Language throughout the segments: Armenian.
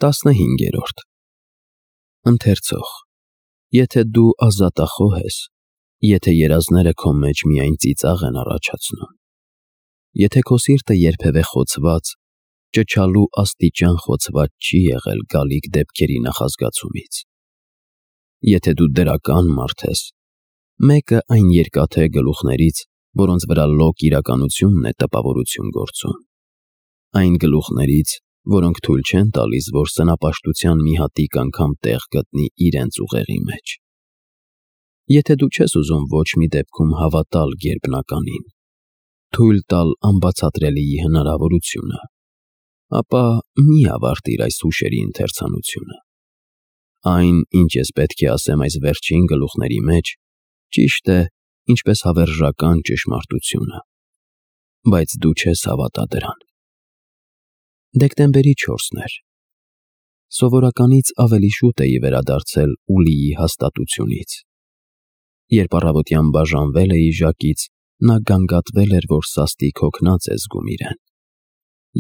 15-րդ Ընթերցող Եթե դու ազատախոհ ես, եթե երազները քո մեջ միայն ծիծաղ են առաջացնում, եթե քո սիրտը երբևէ խոցված, ճչալու աստիճան խոցված չի եղել գալիք դեպքերի նախազգացումից, եթե դու դրական մարդ ես, մեկը այն երկաթե գլուխներից, որոնց վրա լոկ իրականությունն է տպավորություն գործում, այն գլուխներից, որոնք թույլ չեն տալիս, որ սնապաշտության մի հատիկ անգամ տեղ գտնի իրենց ուղեղի մեջ, եթե դու չես ուզում ոչ մի դեպքում հավատալ գերբնականին, թույլ տալ անբացատրելիի հնարավորությունը, ապա մի ավարտիր այս հուշերի ընթերցանությունը։ Այն, ինչ ես պետք է ասեմ այս վերջին գլուխների մեջ, ճիշտ է, ինչպես հավերժական ճշմարտությունը, բայց դու չես հավատա դրան։ Դեկտեմբերի 4-ն էր։ Սովորականից ավելի շուտ էի վերադարձել Ուլիի հաստատությունից։ Երբ առավոտյան բաժանվել էի Ժակից, նա գանգատվել էր, որ սաստիկ հոգնած է զգում իրեն,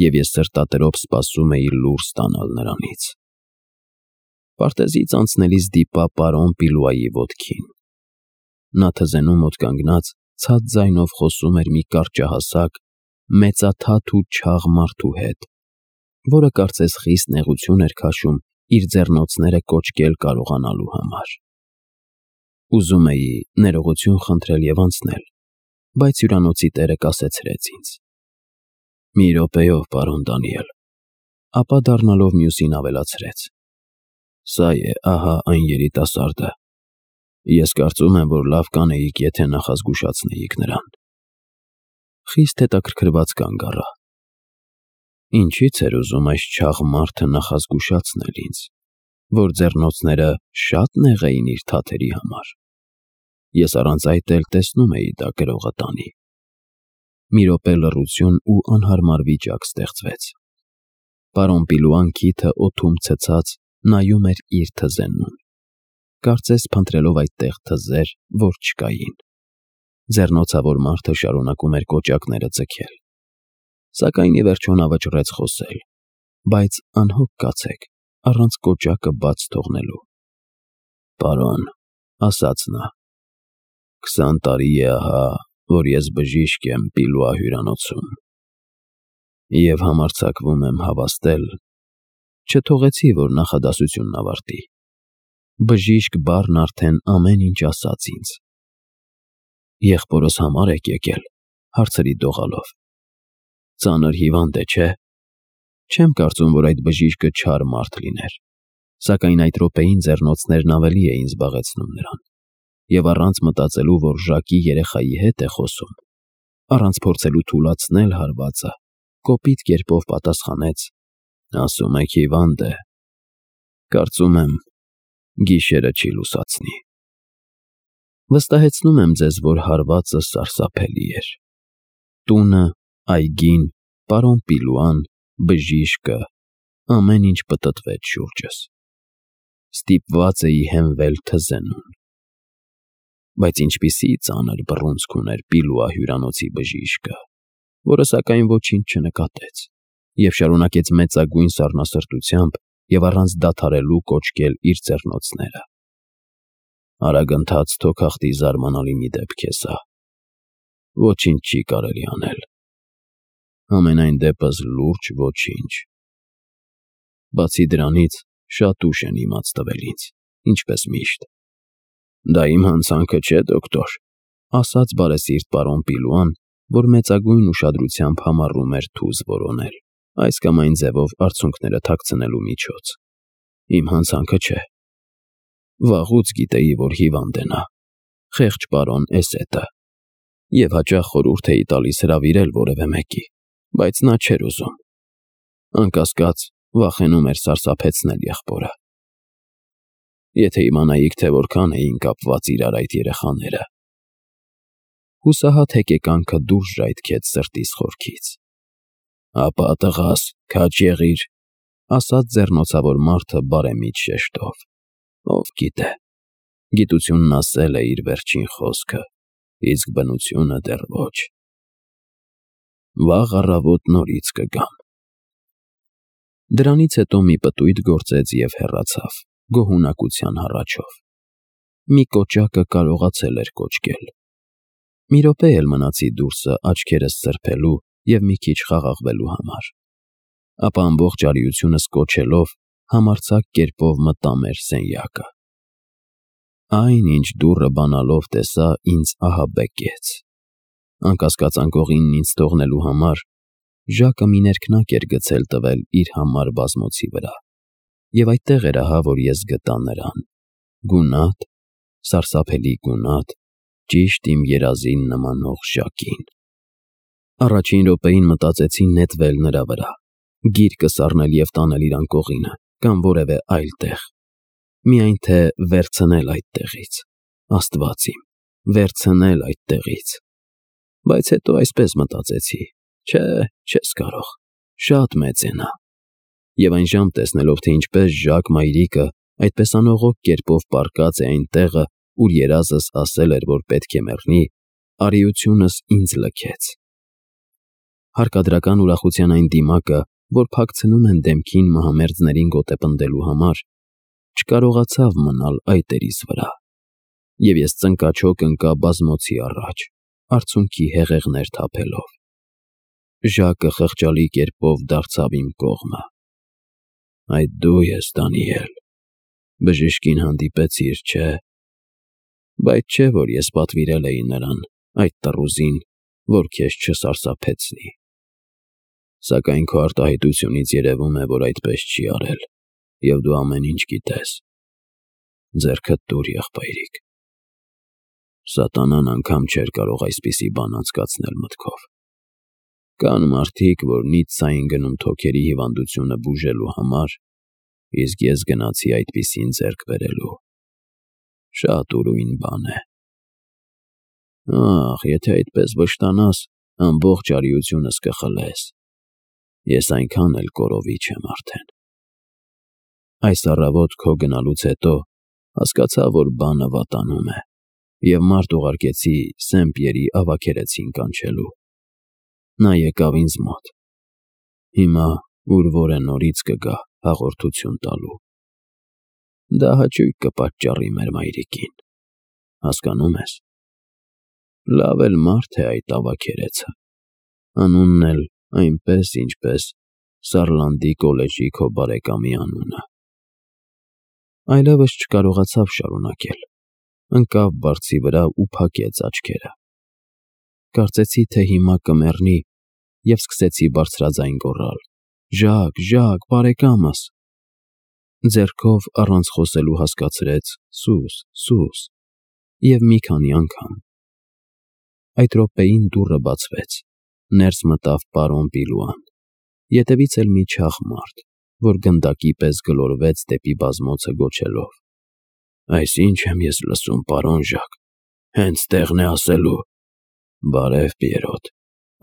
և ես սրտատրոփ սպասում էի լուր ստանալ նրանից։ Պարտեզից անցնելիս դիպա պարոն Պիլուայի ոտքին։ Նա թզենու մոտ կանգնած ցած ձայնով խոսում էր մի կարճահասակ, մեծաթաթ ու չաղ մարդու հետ, որը կարծես խիստ նեղություն էր քաշում իր ձեռնոցները կոճկել կարողանալու համար։ Ուզում էի ներողություն խնդրել և անցնել, բայց հյուրանոցի տերը կասեցրեց ինձ. «Մի րոպեով, պարոն Դանիել», ապա դառնալով մյուսին ավելացրեց. «Սա է, ահա այն երիտասարդը։ Ես կարծում եմ, որ լավ կանեիք, եթե նախազգուշացնեիք նրան»։ Խիստ հետաքրքրված կանգ առա։ Ինչի՞ց էր ուզում այս չաղ մարդը նախազգուշացնել ինձ, որ ձեռնոցները շա՞տ նեղ էին իր թաթերի համար։ Ես առանց այդ էլ տեսնում էի դա գրողը տանի։ Մի րոպե լռություն ու անհարմար վիճակ ստեղծվեց։ Պարոն Պիլուան քիթը օդում ցցած նայում էր իր թզենուն, կարծես փնտրելով այդտեղ թզեր, որ չկային։ Ձեռնոցավոր մարդը շարունակում էր կոճակները ձգել, սակայն ի վերջո նա վճռեց խոսել, բայց անհոգ կացեք, առանց կոճակը բաց թողնելու։ «Պարոն», ասաց նա, «20 տարի է ահա, որ ես բժիշկ եմ Պիլուա հյուրանոցում, և համարձակվում եմ հավաստել, չթողեցի, որ նախադասությունն ավարտի։ Բժիշկ բառն արդեն ամեն ինչ ասաց ինձ։ Եղբորս համար եք եկել», հարցրի դողալով։ «Ծանր հիվանդ է, չէ՞։ Չեմ կարծում, որ այդ բժիշկը չար մարդ լիներ, սակայն այդ րոպեին ձեռնոցներն ավելի էին զբաղեցնում նրան, և առանց մտածելու, որ Ժակի երեխայի հետ է խոսում, առանց փորձելու թուլացնել հարվածը, կոպիտ կերպով պատասխանեց. «Ասում եք հիվանդ է։ Կարծում եմ, գիշերը չի լուսացնի»։ Վստահեցնում եմ ձեզ, որ հարվածը սարսափելի էր։ Տունը, այգին, պարոն Պիլուան, բժիշկը, ամեն ինչ պտտվեց շուրջս։ Ստիպված էի հենվել թզենուն։ Բայց ինչպիսի ծանր բռունցք ուներ Պիլուա հյուրանոցի բժիշկը, որը սակայն ոչինչ չնկատեց և շարունակեց մեծագույն սառնասրտությամբ և առանց դադարելու կոճկել իր ձեռնոցները։ Արագընթաց թոքախտի զարմանալի մի դեպք է սա։ Ոչինչ չի կարելի անել։ Համենայն դեպս լուրջ ոչինչ։ Բացի դրանից, շատ ուշ են իմաց տվել ինձ, ինչպես միշտ։ Դա իմ հանցանքը չէ, դոկտոր, ասաց բարեսիրտ պարոն Պիլուան, որ մեծագույն ուշադրությամբ համառում էր թուզ որոնել, այս կամ այն ձևով արցունքները թաքցնելու միջոց։ Իմ հանցանքը չէ։ Վաղուց գիտեի, որ հիվանդ է նա, խեղճ պարոն Էսետը, և հաճախ խորհուրդ էի տալիս հրավիրել որևէ մեկի, բայց նա չէր ուզում։ Անկասկած, վախենում էր սարսափեցնել եղբորը։ Եթե իմանայիք, թե որքան էին կապված իրար այդ երեխաները։ Հուսահատ հեկեկանքը դուրս ժայթքեց սրտիս խորքից։ Ապա տղաս, քաջ եղիր, ասաց ձեռնոցավոր մարդը բարեմիտ շեշտով։ Ով գիտե, գիտությունն ասել է իր վերջին խոսքը, իսկ բնությունը դեռ ոչ։ Վաղ առավոտ նորից կգամ։ Դրանից հետո մի պտույտ գործեց և հեռացավ, գոհունակության հառաչով։ Մի կոճակը կարողացել էր կոճկել։ Մի րոպե էլ մնացի դուրսը աչքերս սրբելու և մի քիչ խաղաղվելու համար։ Ապա ամբողջ արիությունս կոչելով համարձակ կերպով մտա մեր սենյակը։ Այն, ինչ դուռը բանալով տեսա, ինձ ահաբեկեց։ Անկասկած անկողինն ինձ թողնելու համար Ժակը մի ներքնակ էր գցել տվել իր համար բազմոցի վրա, և այդտեղ էր ահա, որ ես գտա նրան։ Գունատ, սարսափելի գունատ, ճիշտ իմ երազին նմանող Ժակին։ Առաջին րոպեին մտածեցի նետվել նրա վրա, գիրկը սառնել և տանել իր անկողինը կամ որևէ այլ տեղ։ Միայն թե վերցնել այդտեղից, Աստված իմ, վերցնել այդտեղից։ Բայց հետո այսպես մտածեցի. չէ, չես կարող, շատ մեծ է նա։ Եվ այն ժամ տեսնելով, թե ինչպես Ժակ մայրիկը այդպես անողոք կերպով պառկած է այն տեղը, ուր երազս ասել էր, որ պետք է մեռնի, արիությունս ինձ լքեց։ Հարկադրական ուրախության այն դիմակը, որ փակցնում են դեմքին մահամերձներին գոտեպնդելու համար, չկարողացավ մնալ այտերիս վրա, և ես ծնկաչոք ընկա բազմոցի առաջ, արցունքի հեղեղներ թափելով։ Ժակը խղճալի կերպով դարձավ իմ կողմը։ Այդ դու ես, Դանիել, բժշկին հանդիպեցիր, չէ՞։ Բայց չէ, որ ես պատվիրել էի նրան, այդ տռուզին, որ քեզ չսարսափեցնի։ Սակայն քո արտահայտությունից երևում է, որ այդպես չի արել, և դու ամեն ինչ գիտես։ Ձեռքդ տուր, եղբայրիկ։ Սատանան անգամ չէր կարող այսպիսի բան անցկացնել մտքով։ Կան մարդիկ, որ Նիցցային գնում թոքերի հիվանդությունը բուժելու համար, իսկ ես գնացի այդպիսին ձեռք բերելու։ Շատ ուրույն բան է։ Ախ, եթե այդպես վշտանաս, ամբողջ արիությունս կխլես։ Ես այնքան էլ կորովի չեմ արդեն։ Այս առավոտ քո գնալուց հետո հասկացա, որ բանը վատանում է, և մարդ ուղարկեցի Սեն-Պիերի ավագերեցին կանչելու։ Նա եկավ ինձ մոտ։ Հիմա ուր որ է նորից կգա հաղորդություն տալու։ Դա հաճույք կպատճառի մեր մայրիկին, հասկանում ես։ Լավ էլ մարդ է այդ ավագերեցը, անունն էլ այնպես, ինչպես Սարլանդի կոլեջի քո բարեկամի անունը։ Այլևս չկարողացավ շարունակել, ընկավ բարձի վրա ու փակեց աչքերը։ Կարծեցի, թե հիմա կմեռնի, և սկսեցի բարձրաձայն գոռալ. «Ժակ, Ժակ, բարեկամս»։ Ձեռքով առանց խոսելու հասկացրեց. «Սուս, սուս», և մի քանի անգամ։ Այդ րոպեին դուռը բացվեց, ներս մտավ պարոն Պիլուան, ետևից էլ մի չաղ մարդ, որ գնդակի պես գլորվեց դեպի բազմոցը գոչելով. «Այս ի՞նչ եմ ես լսում, պարոն Ժակ, հենց տեղն է ասելու»։ «Բարև, Պիերոտ»,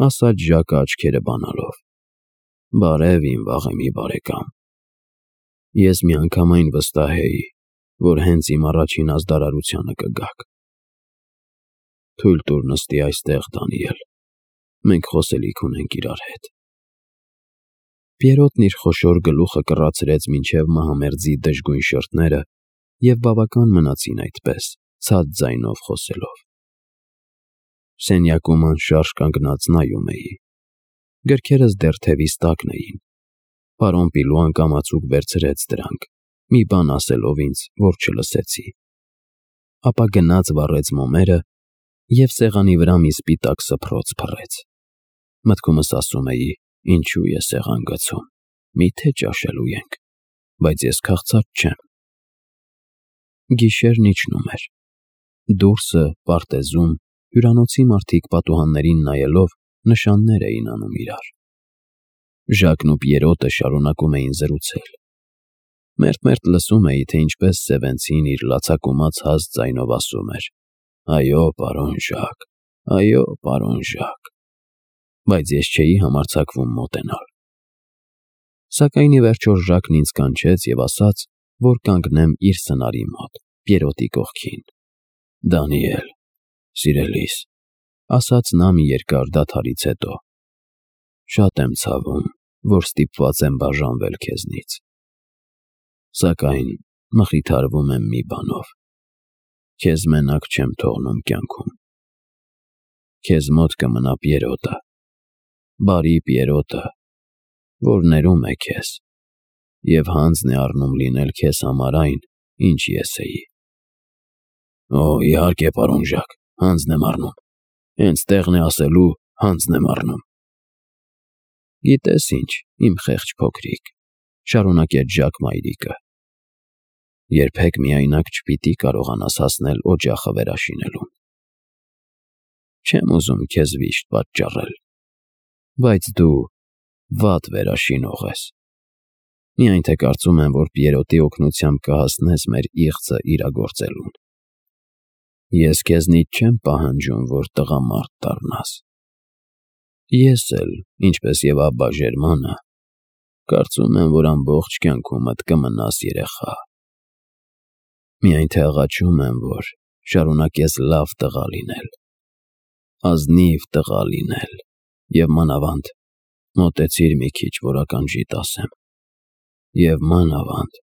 ասաց Ժակը աչքերը բանալով։ «Բարև, իմ վաղեմի բարեկամ։ Ես միանգամայն վստահ էի, որ հենց իմ առաջին ազդարարությանը կգաք։ Թույլ տուր նստի այստեղ, Դանիել, մենք խոսելիք ունենք իրար հետ»։ Պիերոտն իր խոշոր գլուխը կռացրեց մինչև մահամերձի դժգույն շրթները, և բավական մնացին այդպես, ցած ձայնով խոսելով։ Սենյակում անշարժ կանգնած նայում էի։ Գրքերս դեռ թևիս տակն էին։ Պարոն Պիլուան կամացուկ վերցրեց դրանք, մի բան ասելով ինձ, որ չլսեցի։ Ապա գնաց վառեց մոմերը և սեղանի վրա մի սպիտակ սփռոց փռեց։ Մտքումս ասում էի. ինչու է սեղան գցում, միթե ճաշելու ենք, բայց ես քաղցած չեմ։ Գիշերն իջնում էր։ Դուրսը, պարտեզում, հյուրանոցի մարդիկ պատուհաններին նայելով նշաններ էին անում իրար։ Ժակն ու Պիերոտը շարունակում էին զրուցել։ Մերթ-մերթ լսում էի, թե ինչպես Սևենցին իր լացակումած հաստ ձայնով ասում էր. «Այո, պարոն Ժակ, այո, պարոն Ժակ», բայց ես չէի համարձակվում մոտենալ։ Սակայն ի վերջո Ժակն ինձ կանչեց և ասաց, որ կանգնեմ իր սնարի մոտ, Պիերոտի կողքին։ «Դանիել, սիրելիս», ասաց նա մի երկար դադարից հետո, «շատ եմ ցավում, որ ստիպված եմ բաժանվել քեզնից։ Սակայն մխիթարվում եմ մի բանով. քեզ մենակ չեմ թողնում կյանքում։ Քեզ մոտ կմնա Պիերոտը, բարի Պիերոտը, որ ներում է քեզ և հանձն է առնում լինել քեզ համար այն, ինչ ես էի։ Օ, իհարկե, պարոն Ժակ, հանձն եմ առնում, հենց տեղն է ասելու, հանձն եմ առնում։ Գիտես ինչ, իմ խեղճ փոքրիկ, շարունակեց Ժակ մայրիկը, երբեք միայնակ չպիտի կարողանաս հասնել օջախը վերաշինելուն։ Չեմ ուզում քեզ վիշտ պատճառել, բայց դու վատ վերաշինող ես։ Միայն թե կարծում եմ, որ Պիերոտի օգնությամբ կհասնես մեր իղձը իրագործելուն։ Ես քեզնից չեմ պահանջում, որ տղամարդ դառնաս։ Ես էլ, ինչպես և աբա Ժերմանը, կարծում եմ, որ ամբողջ կյանքումդ կմնաս երեխա։ Միայն թե աղաչում եմ, որ շարունակես լավ տղա լինել, ազնիվ տղա լինել և մանավանդ մոտեցիր մի քիչ, որ ականջիդ ասեմ, և մանավանդ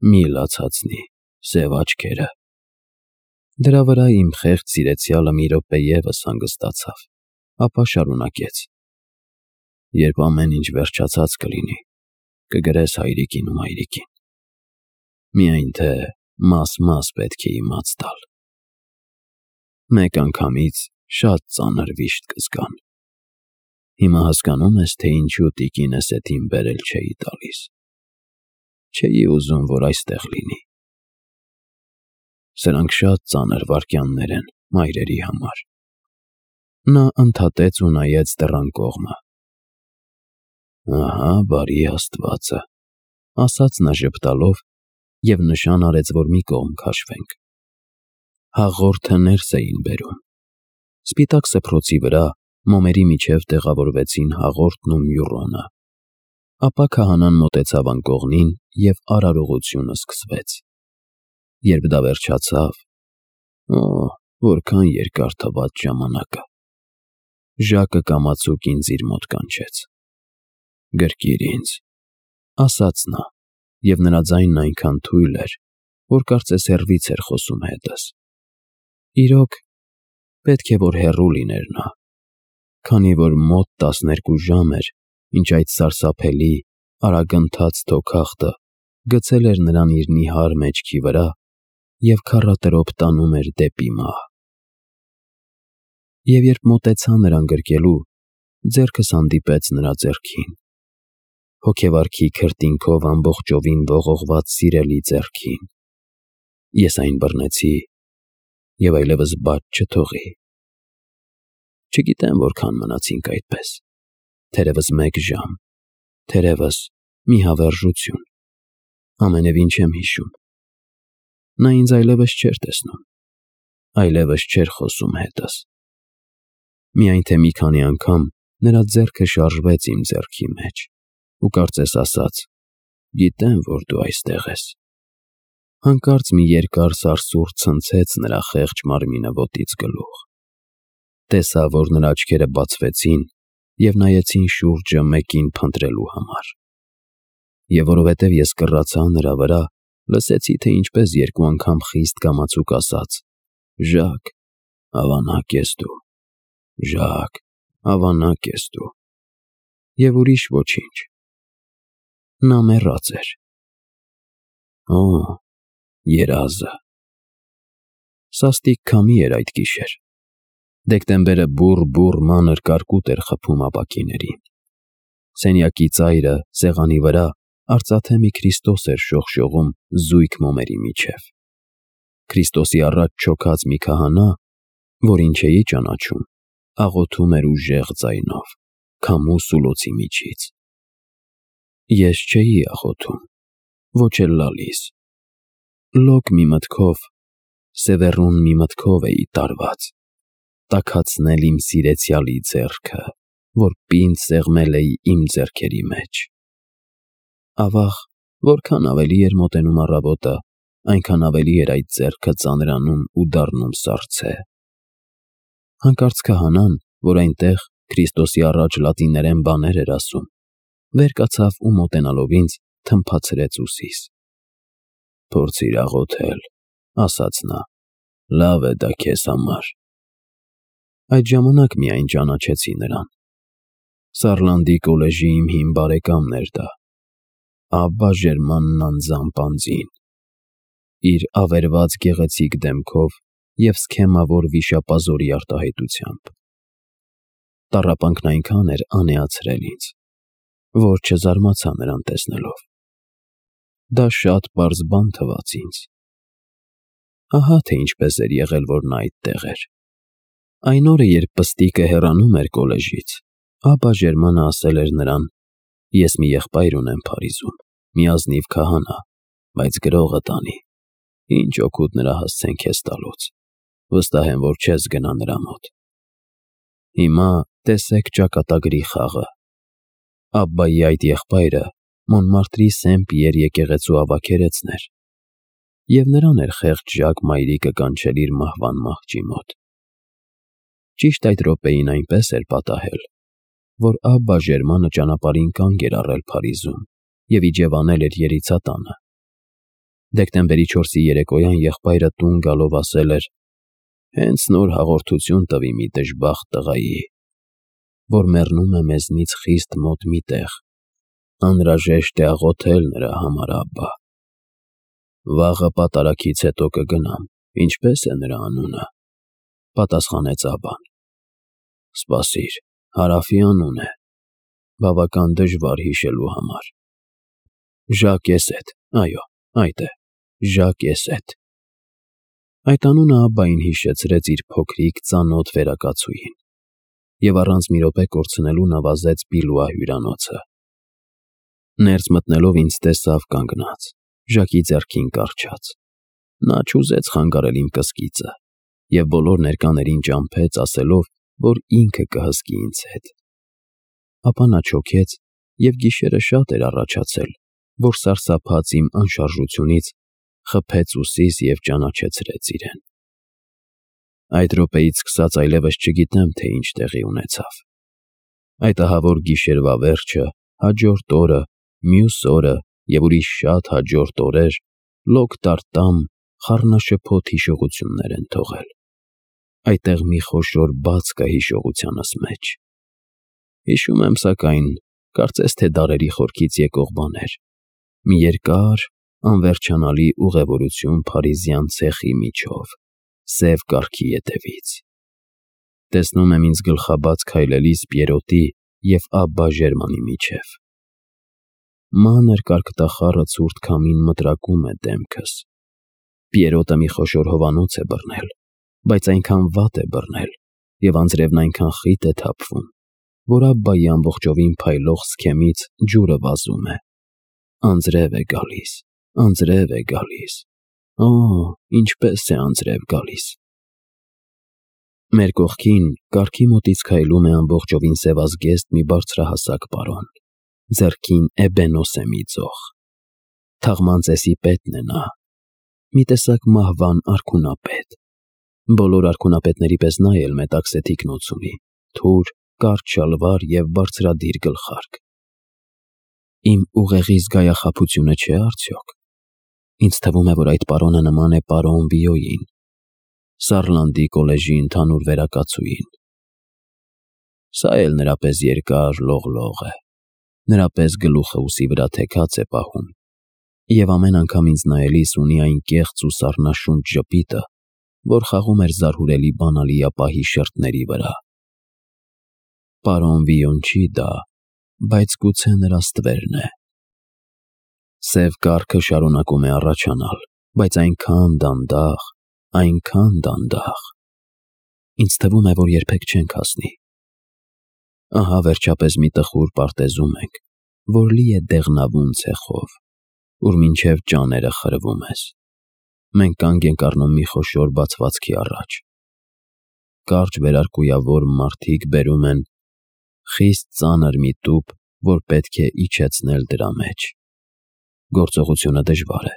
մի լացացնի սև աչքերը։ Դրա վրա իմ խեղճ սիրեցյալը մի րոպե ևս հանգստացավ, ապա շարունակեց. Երբ ամեն ինչ վերջացած կլինի, կգրես հայրիկին ու մայրիկին։ Միայն թե մաս-մաս պետք է իմաց տալ։ Մեկ անգամից շատ ծանր վիշտ կզգան։ Հիմա հասկանում ես, թե ինչու տիկինս էդ իմ բերել չէի տալիս։ Չէի ուզում, որ այստեղ լինի։ Սրանք շատ ծանր վայրկյաններ են մայրերի համար։ Նա ընդհատեց ու նայեց դռան կողմը։ Ահա, բարի Աստվածը, ասաց նա ժպտալով և նշան արեց, որ մի կողմ քաշվենք։ Հաղորդը ներս էին բերում։ Սպիտակ սփռոցի վրա մոմերի միջև տեղավորվեցին հաղորդն ու մյուրոնը։ Ապա քահանան մոտեցավ անկողնին և արարողությունը սկսվեց։ Երբ դա վերջացավ, որքան երկար թվաց ժամանակը, Ժակը կամացուկ ինձ իր մոտ կանչեց։ Գրկիր ինձ, ասաց նա, և նրա ձայնն այնքան թույլ էր, որ կարծես հեռվից էր խոսում հետս։ Իրոք, պետք է որ հեռու լիներ նա, քանի որ մոտ 12 ժամ էր, ինչ այդ սարսափելի, արագընթաց թոքախտը գցել էր նրան իր նիհար մեջքի վրա և քառատրոփ տանում էր դեպի մահ։ Եվ երբ մոտեցա նրան գրկելու, ձեռքս հանդիպեց նրա ձեռքին, հոգեվարքի քրտինքով ամբողջովին ողողված սիրելի ձեռքին։ Ես այն բռնեցի և այլևս բաց չթողի։ Չգիտեմ որքան մնացինք այդպես, թերևս 1 ժամ, թերևս մի հավերժություն, ամենևին չեմ հիշում։ Նա ինձ այլևս չէր տեսնում, այլևս չէր խոսում հետս։ Միայն թե մի քանի անգամ նրա ձեռքը շարժվեց իմ ձեռքի մեջ ու կարծես ասաց. գիտեմ, որ դու այստեղ ես։ Հանկարծ մի երկար սարսուռ ցնցեց նրա խեղճ մարմինը ոտից գլուխ։ Տեսա, որ նրա աչքերը բացվեցին և նայեցին շուրջը մեկին փնտրելու համար։ Եվ որովհետև ես կռացա նրա վրա, լսեցի, թե ինչպես 2 անգամ խիստ կամացուկ ասաց. Ժակ, ավանակ ես դու, Ժակ, ավանակ ես դու։ Եվ ուրիշ ոչինչ։ Նա մեռած էր։ Օ, երազը։ Սաստիկ քամի էր այդ գիշեր։ Դեկտեմբերը բուռ մանր կարկուտ էր խփում ապակիներին։ Սենյակի ծայրը, սեղանի վրա, արծաթե մի Քրիստոս էր շողշողում զույգ մոմերի միջև։ Քրիստոսի առաջ չոքած մի քահանա, որին չէի ճանաչում, աղոթում էր ուժեղ ձայնով, քամու սուլոցի միջից։ Ես չէի աղոթում, ոչ էլ լալիս։ Լոկ մի մտքով, սևեռուն մի մտքով էի տարված, տաքացնել իմ սիրեցյալի ձեռքը, որ պինդ սեղմել էի իմ ձեռքերի մեջ։ Ավաղ, որքան ավելի էր մոտենում առավոտը, այնքան ավելի էր այդ ձեռքը ծանրանում ու դառնում սառցե։ Հանկարծ քահանան, որ այնտեղ Քրիստոսի առաջ լատիներեն բաներ էր ասում, վեր կացավ ու մոտենալով ինձ թմփացրեց ուսիս։ «Փորձիր աղոթել», ասաց նա, «լավ է դա քեզ համար»։ Այդ ժամանակ միայն ճանաչեցի նրան։ Սարլանդի կոլեժի իմ հին բարեկամն էր դա, Աբբա Ժերմանն անձամբ, իր ավերված գեղեցիկ դեմքով և սքեմավոր վիշապազորի արտահայտությամբ։ Տառապանքն այնքան էր անեացրել ինձ, որ չզարմացա նրան տեսնելով։ Դա շատ պարզ բան թվաց ինձ։ Ահա թե ինչպես էր եղել, որ նա այդտեղ էր։ Այն օրը, երբ պստիկը հեռանում էր կոլեժից, Աբբա Ժերմանը ասել էր նրան. «Ես մի եղբայր ունեմ Փարիզում, մի ազնիվ քահանա, բայց գրողը տանի, ինչ օգուտ նրա հասցեն քեզ տալուց, վստահ եմ, որ չես գնա նրա մոտ»։ Հիմա տեսեք ճակատագրի խաղը։ Աբբայի այդ եղբայրը Մոնմարտրի Սեն Պիեր եկեղեցու ավագերեցն էր, և նրան էր խեղճ Ժակ մայրիկը կանչել իր մահվան մահճի մոտ։ Ճիշտ այդ րոպեին այնպես էր պատահել, որ Աբբա Ժերմանը ճանապարհին կանգ էր առել Փարիզում և իջևանել էր Երիցատանը։ Դեկտեմբերի 4-ի երեկոյան եղբայրը տուն գալով ասել էր. «Հենց նոր հաղորդություն տվի մի դժբախտ տղայի, որ մեռնում է մեզնից խիստ մոտ մի տեղ, անհրաժեշտ է աղոթել նրա համար, Աբբա»։ «Վաղը պատարագից հետո կգնամ, ինչպե՞ս է նրա անունը», պատասխանեց Աբբան։ «Սպասիր, Հարավի անուն է, բավական դժվար հիշելու համար։ Ժակ Էսեթ, այո, այդ է, Ժակ Էսեթ»։ Այդ անունը Աբբային հիշեցրեց իր փոքրիկ ծանոթ վերակացուին, և առանց մի րոպե կորցնելու նվազեց Բիլուա հյուրանոցը։ Ներս մտնելով ինձ տեսավ կանգնած, Ժակի ձեռքին կառչած։ Նա չուզեց խանգարել իմ կսկիծը և բոլոր ներկաներին ճամփեց, ասելով, որ ինքը կհսկի ինձ հետ։ Ապա նա չոքեց, և գիշերը շատ էր առաջացել, որ սարսափած իմ անշարժությունից խփեց ուսիս և ճանաչեցրեց իրեն։ Այդ րոպեից սկսած այլևս չգիտեմ, թե ինչ տեղի ունեցավ։ Այդ ահավոր գիշերվա վերջը, հաջորդ օրը, մյուս օրը և ուրիշ շատ հաջորդ օրեր լոկ տարտամ, խառնաշփոթ հիշողություններ են թողել։ Այդտեղ մի խոշոր բաց կա հիշողությանս մեջ։ Հիշում եմ, սակայն, կարծես թե դարերի խորքից եկող բաներ, մի երկար, անվերջանալի ուղևորություն փարիզյան ցեխի միջով, սև կառքի ետևից։ Տեսնում եմ ինձ գլխաբաց քայլելիս Պիերոտի և Աբբա Ժերմանի միջև։ Մանր կարկտախառը ցուրտ քամին մտրակում է դեմքս։ Պիերոտը մի խոշոր հովանոց է բռնել, բայց այնքան վատ է բռնել, և անձրևն այնքան խիտ է թափվում, որ Աբբայի ամբողջովին փայլող սքեմից ջուրը վազում է։ Անձրև է գալիս, անձրև է գալիս, օ, ինչպես է անձրև գալիս։ Մեր կողքին կառքի մոտից քայլում է ամբողջովին սևազգեստ մի բարձրահասակ պարոն, ձեռքին էբենոս է մի ծող։ Թաղման ծեսի պետն է նա, մի տեսակ մահվան արքունապետ։ Բոլոր արքունապետների պես նա էլ մետաքսե թիկնոց ունի, թուր, կարճ շալվար և բարձրադիր գլխարկ։ Իմ ուղեղի զգայախաբությունը չէ՞ արդյոք։ Ինձ թվում է, որ այդ պարոնը նման է պարոն Վիոյին, Սարլանդի կոլեժի ընդհանուր վերակացուին։ Սա էլ նրա պես երկար լողլող է, նրա պես գլուխը ուսի վրա թեքած է պահում, և ամեն անգամ ինձ նայելիս ունի այն կեղծ ու սառնաշունչ ժպիտը, որ խաղում էր զարհուրելի բանալիապահի շերտների վրա։ Պարոն Վիոն չի դա, բայց գուցե նրա ստվերն է։ Սև կառքը շարունակում է առաջանալ, բայց այնքան դանդաղ, այնքան դանդաղ։ Ինձ թվում է, որ երբեք չենք հասնի։ Ահա վերջապես մի տխուր պարտեզում ենք, որ լի է դեղնավուն ցեխով, ուր մինչև ճաները խրվում ես։ Մենք կանգ ենք առնում մի խոշոր բացվածքի առաջ։ Կարճ վերարկույավոր մարդիկ բերում են խիստ ծանր մի տուփ, որ պետք է իջեցնել դրա մեջ։ Գործողությունը դժվար է։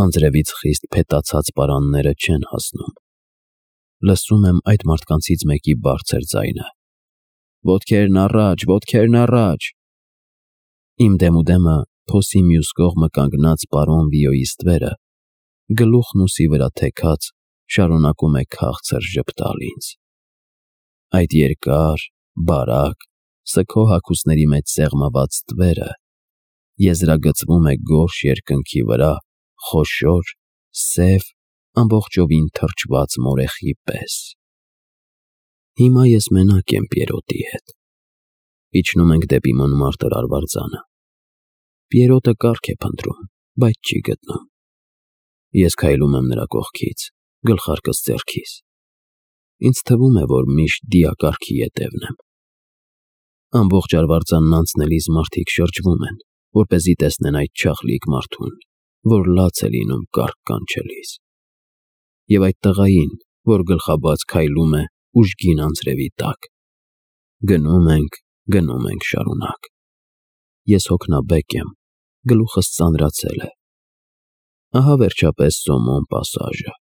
Անձրևից խիստ փետացած պարանները չեն հասնում։ Լսում եմ այդ մարդկանցից մեկի բարձր ձայնը. «Ոտքերն առաջ, ոտքերն առաջ»։ Իմ դեմուդեմը փոսի մյուս կողմը կանգնած պարոն Վիոյի ստվերը, գլուխն ուսի վրա թեքած, շարունակում է քաղցր ժպտալ ինձ։ Այդ երկար, բարակ, սգո հագուստների մեջ սեղմված ստվերը եզրագծվում է գորշ երկնքի վրա խոշոր, սև, ամբողջովին թրջված մորեխի պես։ Հիմա ես մենակ եմ Պիերոտի հետ։ Իջնում ենք դեպի Մոնմարտր արվարձանը։ Պիերոտը կառք է փնտրում, բայց չի գտնում։ Ես քայլում եմ նրա կողքից, գլխարկս ձեռքիս։ Ինձ թվում է, որ միշտ դիակառքի ետևն եմ։ Ամբողջ արվարձանն անցնելիս մարդիկ շրջվում են, որպեսզի տեսնեն այդ չախլիկ մարդուն, որ լաց է լինում կառք կանչելիս։ Եվ այդ տղային, որ գլխաբաց քայլում է ուժգին անձրևի տակ։ Գնում ենք շարունակ։ Ես հոգնաբեկ եմ, գլուխս ծանրացել է։ Ահա վերջապես Սոմոն պասաժը,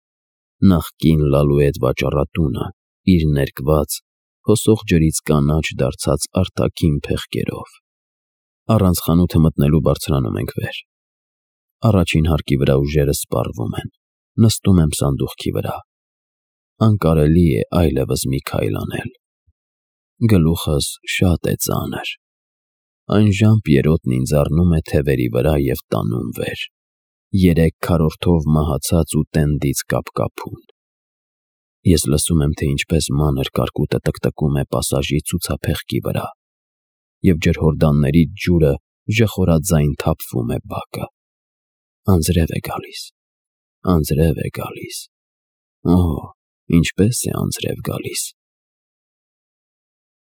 նախկին Լալուետ վաճառատունը, իր ներկված, հոսող ջրից կանաչ դարձած արտաքին փեղկերով։ Առանց խանութը մտնելու բարձրանում ենք վեր։ Առաջին հարկի վրա ուժերս սպառվում են, նստում եմ սանդուղքի վրա։ Անկարելի է այլևս մի քայլ անել։ Գլուխս շատ է ծանր։ Այն Պիերոտն ինձ առնում է թևերի վրա և տանում վեր, 3 քառորդով մահացած ու տենդից կապկապուն։ Ես լսում եմ, թե ինչպես մանր կարկուտը տկտկում է պասաժի ցուցափեղկի վրա, և ջրհորդանների ջուրը ժխորաձայն թափվում է բակը։ Անձրև է գալիս։ Օհ, ինչպես է անձրև գալիս։